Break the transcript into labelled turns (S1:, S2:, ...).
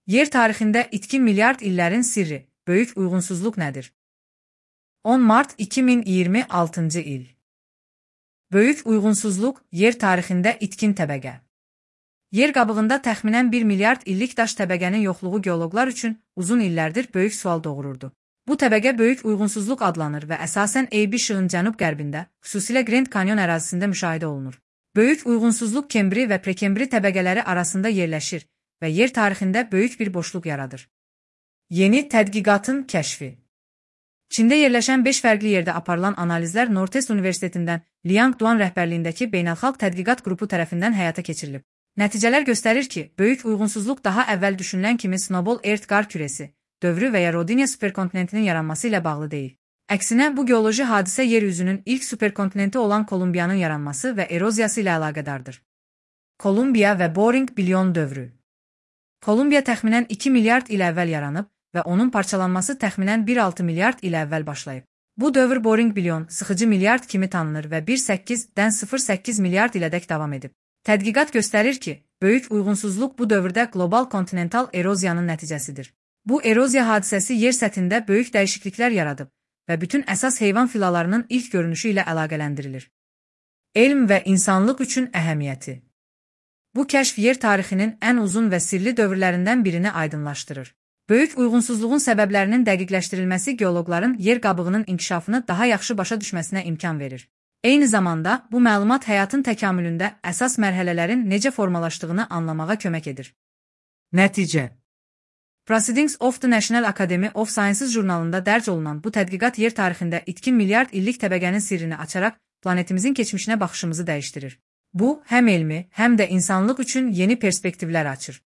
S1: Yer tarixində itkin milyard illərin sirri, böyük uyğunsuzluq nədir? 10 mart 2026-cı il. Böyük uyğunsuzluq yer tarixində itkin təbəqə. Yer qabığında təxminən 1 milyard illik daş təbəqənin yoxluğu geoloqlar üçün uzun illərdir böyük sual doğururdu. Bu təbəqə böyük uyğunsuzluq adlanır və əsasən AB şığın cənub-qərbində, xüsusilə Grand Canyon ərazisində müşahidə olunur. Böyük uyğunsuzluq Kembri və Prekembri təbəqələri arasında yerləşir və yer tarixində böyük bir boşluq yaradır. Yeni tədqiqatın kəşfi. Çində yerləşən 5 fərqli yerdə aparılan analizlər Northwest Universitetindən Liang Duan rəhbərliyindəki beynəlxalq tədqiqat qrupu tərəfindən həyata keçirilib. Nəticələr göstərir ki, böyük uyğunsuzluq daha əvvəl düşünülən kimi Snowball Earth qar kürəsi dövrü və ya Rodinia superkontinentinin yaranması ilə bağlı deyil. Əksinə, bu geoloji hadisə yer üzünün ilk superkontinenti olan Kolumbiyanın yaranması və eroziyası ilə əlaqədardır. Kolumbiya və Boring bilyon dövrü. Kolumbiya təxminən 2 milyard il əvvəl yaranıb və onun parçalanması təxminən 1,6 milyard il əvvəl başlayıb. Bu dövr Boring bilyon, sıxıcı milyard kimi tanınır və 1,8-dən 0,8 milyard ilədək davam edib. Tədqiqat göstərir ki, böyük uyğunsuzluq bu dövrdə qlobal kontinental eroziyanın nəticəsidir. Bu eroziya hadisəsi yer səthində böyük dəyişikliklər yaradıb və bütün əsas heyvan filalarının ilk görünüşü ilə əlaqələndirilir. Elm və insanlıq üçün əhəmiyyəti. Bu kəşf yer tarixinin ən uzun və sirli dövrlərindən birini aydınlaşdırır. Böyük uyğunsuzluğun səbəblərinin dəqiqləşdirilməsi geoloqların yer qabığının inkişafını daha yaxşı başa düşməsinə imkan verir. Eyni zamanda, bu məlumat həyatın təkamülündə əsas mərhələlərin necə formalaşdığını anlamağa kömək edir. Nəticə. Proceedings of the National Academy of Sciences jurnalında dərc olunan bu tədqiqat yer tarixində itkin milyard illik təbəqənin sirrini açaraq planetimizin keçmişinə baxışımızı dəyişdirir. Bu, həm elmi, həm də insanlıq üçün yeni perspektivlər açır.